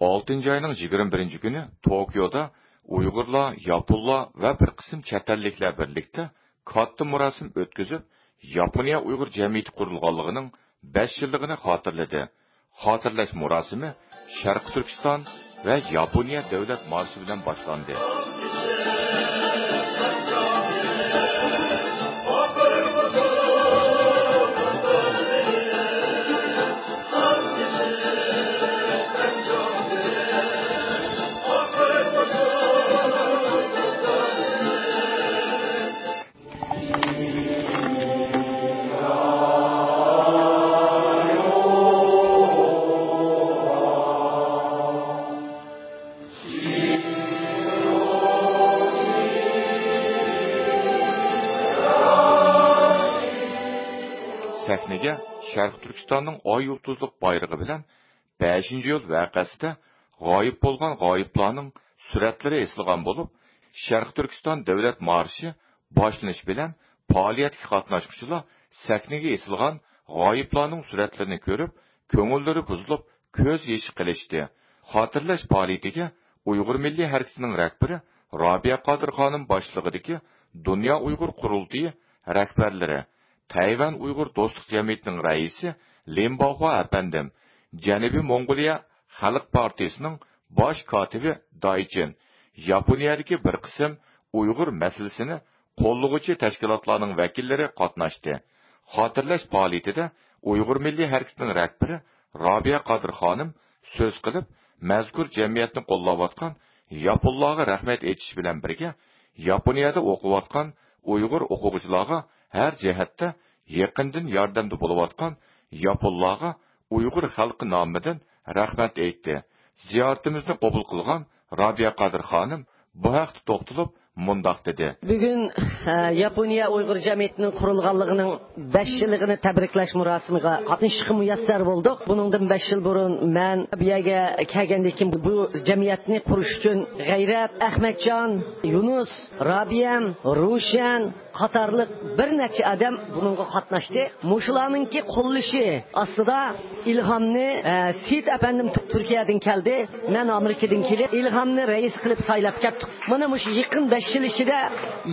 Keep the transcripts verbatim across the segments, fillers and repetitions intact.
ئالتىنچى ئاينىڭ يىگىرمە بىرىنچى كۈنى توكيودا ئۇيغۇرلار، ياپونلار ۋە بىر قىسىم چەت ئەللىكلەر بىرلىكتە كاتتا مۇراسىم ئۆتكۈزۈپ، ياپونىيە ئۇيغۇر جەمئىيىتى قۇرۇلغانلىقىنىڭ بەش يىللىقىنى خاتىرىلىدى. خاتىرىلەش مۇراسىمى شەرقىي تۈركىستان ۋە ياپونىيە دۆلەت مارشى بىلەن باشلاندى. سەھنىگە شەرقىي تۈركىستاننىڭ ئاي يۇلتۇزلۇق بايرىقى بىلەن بەشىنچى ئىيۇل ۋەقەسىدە غايىب بولغان غايىبلارنىڭ سۈرەتلىرى ئېسىلغان بولۇپ، شەرقىي تۈركىستان دۆلەت مارشى باشلىنىش بىلەن پائالىيەتكە قاتناشقۇچىلار سەھنىگە ئېسىلغان غايىبلارنىڭ سۈرەتلىرىنى كۆرۈپ، كۆڭۈللىرى بۇزۇلۇپ، كۆز يېشى قىلىشتى. خاتىرىلەش پائالىيىتىگە ئۇيغۇر مىللىي ھەرىكىتىنىڭ رەھبىرى رابىيە قادىر خانىم باشچىلىقىدىكى دۇنيا ئۇيغۇر قۇرۇلتىيى رەھبەرلىرى، تەيۋەن ئۇيغۇر دوستلۇق جەمئىيىتىنىڭ رەئىسى لىن باخۇا ئەپەندىم، جەنۇبىي موڭغۇلىيە خەلق پارتىيىسىنىڭ باش كاتىپى دايچىن، ياپونىيەدىكى بىر قىسىم ئۇيغۇر مەسىلىسىنى قوللىغۇچى تەشكىلاتلارنىڭ ۋەكىللىرى قاتناشتى. خاتىرىلەش پائالىيىتىدە ئۇيغۇر مىللىي ھەرىكىتىنىڭ رەھبىرى رابىيە قادىر خانىم سۆز قىلىپ، مەزكۇر جەمئىيەتنى قوللاۋاتقان ياپونلارغا رەھمەت ئېيتىش بىلەن بىرگە، ياپونىيەدە ئوقۇۋاتقان ئۇيغۇر ئوقۇغۇچىلارغا ھەر جەھەتتە يېقىندىن ياردەمدە بولۇۋاتقان ياپونلارغا ئۇيغۇر خەلقى نامىدىن رەھمەت ئېيتتى. زىيارىتىمىزنى قوبۇل قىلغان رابىيە قادىر خانىم بۇ ھەقتە توختىلىپ مۇنداق دېدى. بۈگۈن، ئە، ياپونىيە ئۇيغۇر جەمئىيىتىنىڭ قۇرۇلغانلىقىنىڭ بەش يىللىقىنى تەبرىكلەش مۇراسىمىغا قاتنىشىشقا مۇيەسسەر بولدۇق. بۇنىڭدىن بەش يىل بۇرۇن مەن بۇ يەرگە كەلگەندىن كېيىن بۇ جەمئىيەتنى قۇرۇش ئۈچۈن غەيرەت، ئەخمەتجان، يۇنۇس، رابىيەم، روشەن قاتارلىق بىر نەچچە ئادەم بۇنىڭغا قاتناشتى. مۇشۇلارنىڭكى قوللىشى ئاستىدا ئىلھامنى، ئە، سېيىت ئەپەندىم تۈركىيەدىن كەلدى، مەن ئامېرىكىدىن كېلىپ ئىلھامنى رەئىس قىلىپ سايلاپ كەتتۇق. مانا مۇشۇ يېقىن بەش يىل ئىچىدە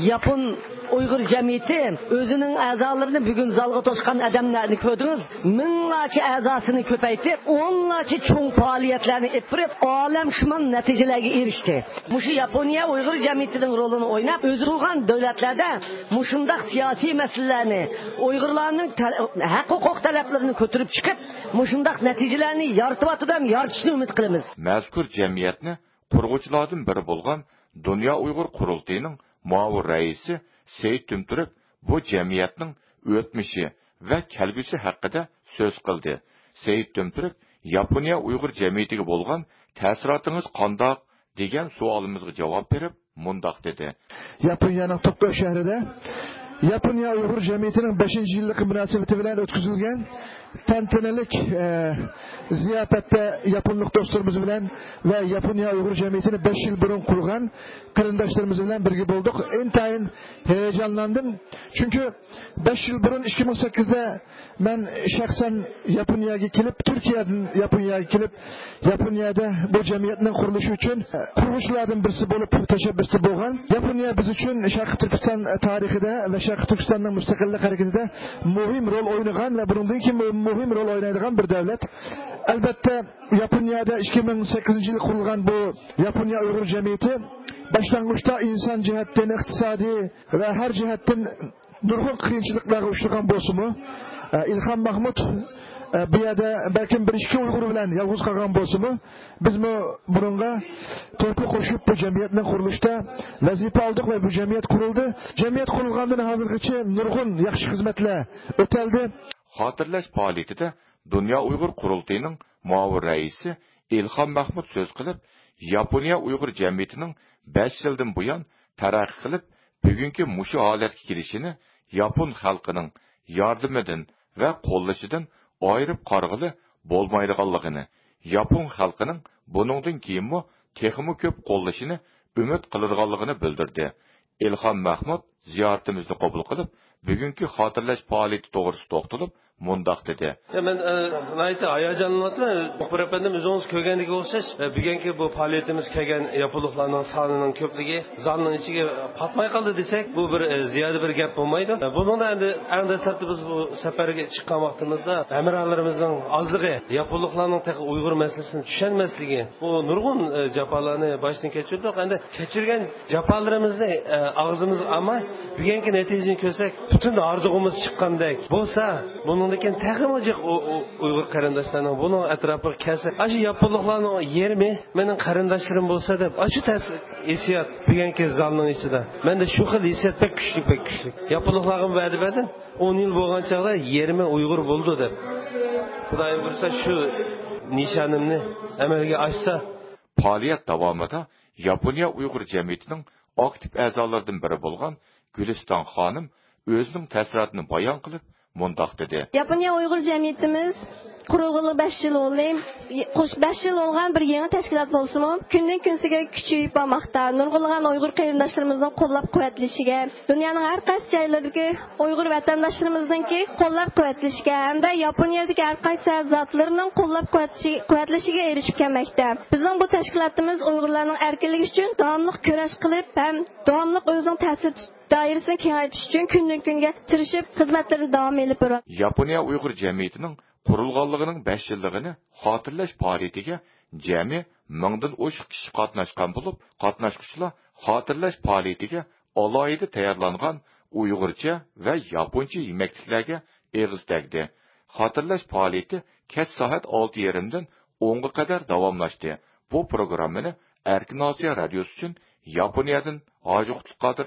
ياپون ئۇيغۇر جەمئىيىتى ئۆزىنىڭ ئەزالىرىنى بۈگۈن زالغا توشقان ئادەملەرنى كۆردىڭىز. مىڭلارچە ئەزاسىنى كۆپەيتىپ، ئونلارچە چوڭ پائالىيەتلەرنى ئېلىپ بېرىپ، ئالەمشۇمۇل نەتىجىلەرگە ئېرىشتى. مۇشۇ ياپونىيە ئۇيغۇر جەمئىيىتىنىڭ رولىنى ئويناپ، ئۆزى قۇرغان دۆلەتلەردە مۇشۇنداق سىياسىي مەسىلىلەرنى، ئۇيغۇرلارنىڭ تە-، ھەق-ھوقۇق تەلەپلىرىنى كۆتۈرۈپ چىقىپ، مۇشۇنداق نەتىجىلەرنى يارىتىۋاتىدۇ ھەم يارىتىشىنى ئۈمىد قىلىمىز. مەزكۇر جەمئىيەتنى قۇرغۇچىلاردىن بىرى بولغان دۇنيا ئۇيغۇر قۇرۇلتىيىنىڭ مۇئاۋىن رەئىسى سېيىت تۈمتۈرك بۇ جەمئىيەتنىڭ ئۆتمۈشى ۋە كەلگۈسى ھەققىدە سۆز قىلدى. سېيىت تۈمتۈرك ياپونىيە ئۇيغۇر جەمئىيىتىگە بولغان تەسىراتىڭىز قانداق؟ دېگەن سوئالىمىزغا جاۋاب بېرىپ مۇنداق دېدى. ياپونىيەنىڭ توكيو شەھىرىدە ياپونىيە ئۇيغۇر جەمئىيىتىنىڭ بەشىنچى يىللىقى مۇناسىۋىتى بىلەن ئۆتكۈزۈلگەن تەنتەنىلىك، ئە، زىياپەتتە ياپونلۇق دوستلىرىمىز بىلەن ۋە ياپونىيە ئۇيغۇر جەمئىيىتىنى بەش يىل بۇرۇن قۇرغان قېرىنداشلىرىمىز بىلەن بىرگە بولدۇق. ئىنتايىن ھاياجانلاندىم. چۈنكى بەش يىل بۇرۇن، ئىككى مىڭ سەككىزدە مەن شەخسەن ياپونىيەگە كېلىپ، تۈركىيەدىن ياپونىيەگە كېلىپ، ياپونىيەدە بۇ جەمئىيەتنىڭ قۇرۇلۇشى ئۈچۈن قۇرغۇچىلاردىن بىرسى بولۇپ تەشەببۇستا بولغان. ياپونىيە بىز ئۈچۈن شەرقىي تۈركىستان تارىخىدا ۋە شەرقىي تۈركىستاننىڭ مۇستەقىللىق ھەرىكىتىدە مۇھىم رول ئوينىغان ۋە بۇنىڭدىن كېيىن مۇھىم رول ئوينايدىغان بىر دۆلەت. ئەلبەتتە، ياپونىيەدە ئىككى مىڭ سەككىزىنچى يىلى قۇرۇلغان بۇ ياپونىيە ئۇيغۇر جەمئىيىتى باشلانغۇچتا ئىنسان جەھەتتىن، ئىقتىسادىي ۋە ھەر جەھەتتىن نۇرغۇن قىيىنچىلىقلارغا ئۇچرىغان بولسىمۇ، ئە، ئىلھام مەھمۇت، ئە، بۇ يەردە بەلكىم بىر ئىككى ئۇيغۇر بىلەن يالغۇز قالغان بولسىمۇ، بىزمۇ بۇنىڭغا تۆھپە قوشۇپ، بۇ جەمئىيەتنىڭ قۇرۇلۇشىدا ۋەزىپە ئالدۇق ۋە بۇ جەمئىيەت قۇرۇلدى. جەمئىيەت قۇرۇلغاندىن ھازىرغىچە نۇرغۇن ياخشى خىزمەتلەر ئۆتەلدى. خاتىرىلەش پائالىيىتىدە دۇنيا ئۇيغۇر قۇرۇلتىيىنىڭ مۇئاۋىن رەئىسى ئىلھام مەھمۇت سۆز قىلىپ، ياپونىيە ئۇيغۇر جەمئىيىتىنىڭ بەش يىلدىن بۇيان تەرەققىي قىلىپ، بۈگۈنكى مۇشۇ ھالەتكە كېلىشىنى ياپون خەلقىنىڭ ياردىمىدىن ۋە قوللىشىدىن ئايرىپ قارىغىلى بولمايدىغانلىقىنى، ياپون خەلقىنىڭ بۇنىڭدىن كېيىنمۇ تېخىمۇ كۆپ قوللىشىنى ئۈمىد قىلىدىغانلىقىنى بىلدۈردى. ئىلھام مەھمۇت زىيارىتىمىزنى قوبۇل قىلىپ، بۈگۈنكى خاتىرىلەش پائالىيىتى توغرىسىدا توختىلىپ، مۇنداق دېدى. يا، مەن، ئە، ناھايىتى ھاياجانلىنىۋاتىمەن. مۇخبىر ئەپەندىم، ئۆزىڭىز كۆرگەندىكى ئوخشاش، ئە، بۈگۈنكى بۇ پائالىيىتىمىز كەلگەن ياپونلۇقلارنىڭ سانىنىڭ كۆپلۈكى زالنىڭ ئىچىگە پاتماي قالدى دېسەك، بۇ بىر، ئە، زىيادە بىر گەپ بولمايدۇ. ئە، بۇنىڭدا ئەمدى ئەڭ دەسلەپتە بىز بۇ سەپەرگە چىققان ۋاقتىمىزدا ھەمراھلىرىمىزنىڭ ئازلىقى، ياپونلۇقلارنىڭ تېخى ئۇيغۇر مەسىلىسىنى چۈشەنمەسلىكى، بۇ نۇرغۇن، ئە، جاپالارنى باشتىن كەچۈردۇق. ئەمدى كەچۈرگەن جاپالىرىمىزنى، ئە، ئاغزىمىزغا ئالماي، بۈگۈنكى نەتىجىنى كۆرسەك، پۈتۈن ھاردۇقىمىز چىققاندەك بولسا، بۇنىڭدىن كېيىن تېخىمۇ جىق ئۇ، ئۇ، ئۇيغۇر قېرىنداشلارنىڭ بۇنىڭ ئەتراپىغا كەلسە، ئاشۇ ياپونلۇقلارنىڭ يېرىمى مېنىڭ قېرىنداشلىرىم بولسا دەپ، ئاشۇ تەس ھېسسىيات بۈگۈنكى زالنىڭ ئىچىدە. مەندە شۇ خىل ھېسسىيات بەك كۈچلۈك، بەك كۈچلۈك. ياپونلۇقلارغا ۋەدە بەردىم، ئون يىل بولغان چاغدا يېرىمى ئۇيغۇر بولىدۇ دەپ. خۇدايىم بۇيرۇسا، شۇ نىشانىمنى ئەمەلگە ئاشسا. پائالىيەت داۋامىدا ياپونىيە ئۇيغۇر جەمئىيىتىنىڭ ئاكتىپ ئەزالىرىدىن بىرى بولغان گۈلىستان خانىم ئۆزىنىڭ تەسىراتىنى بايان قىلىپ، مۇنداق دېدى. ياپونىيە ئۇيغۇر جەمئىيىتىمىز قۇرۇلغىلى بەش يىل بولدى. خوش، بەش يىل بولغان بىر يېڭى تەشكىلات بولسىمۇ، كۈندىن كۈنسىگە كۈچىيىپ بارماقتا. نۇرغۇنلىغان ئۇيغۇر قېرىنداشلىرىمىزنىڭ قوللاپ قۇۋۋەتلىشىگە، دۇنيانىڭ ھەر قايسى جايلىرىدىكى ئۇيغۇر ۋەتەنداشلىرىمىزنىڭكى قوللاپ قۇۋۋەتلىشىگە ھەمدە ياپونىيەدىكى ھەر قايسى زاتلىرىنىڭ قوللاپ قۇۋۋەتلىشى-، قۇۋۋەتلىشىگە ئېرىشىپ كەلمەكتە. بىزنىڭ بۇ تەشكىلاتىمىز ئۇيغۇرلارنىڭ ئەركىنلىكى ئۈچۈن داۋاملىق كۈرەش قىلىپ ھەم داۋاملىق ئۆزىنىڭ تەسىر دائىرىسىنى كېڭەيتىش ئۈچۈن كۈندىن كۈنگە تىرىشىپ خىزمەتلىرىنى داۋام ئېلىپ بېرىۋاتىدۇ. ياپونىيە ئۇيغۇر جەمئىيىتىنىڭ قۇرۇلغانلىقىنىڭ بەش يىللىقىنى خاتىرىلەش پائالىيىتىگە جەمئىي مىڭدىن ئوشۇق كىشى قاتناشقان بولۇپ، قاتناشقۇچىلار خاتىرىلەش پائالىيىتىگە ئالاھىدە تەييارلانغان ئۇيغۇرچە ۋە ياپونچە يېمەكلىكلەرگە ئېغىز تەگدى. خاتىرىلەش پائالىيىتى كەچ سائەت ئالتە يېرىمدىن ئونغا قەدەر داۋاملاشتى. بۇ پروگراممىنى ئەركىن ئاسىيا رادىيوسى ئۈچۈن ياپونىيەدىن ھاجى قۇتلۇق قادىر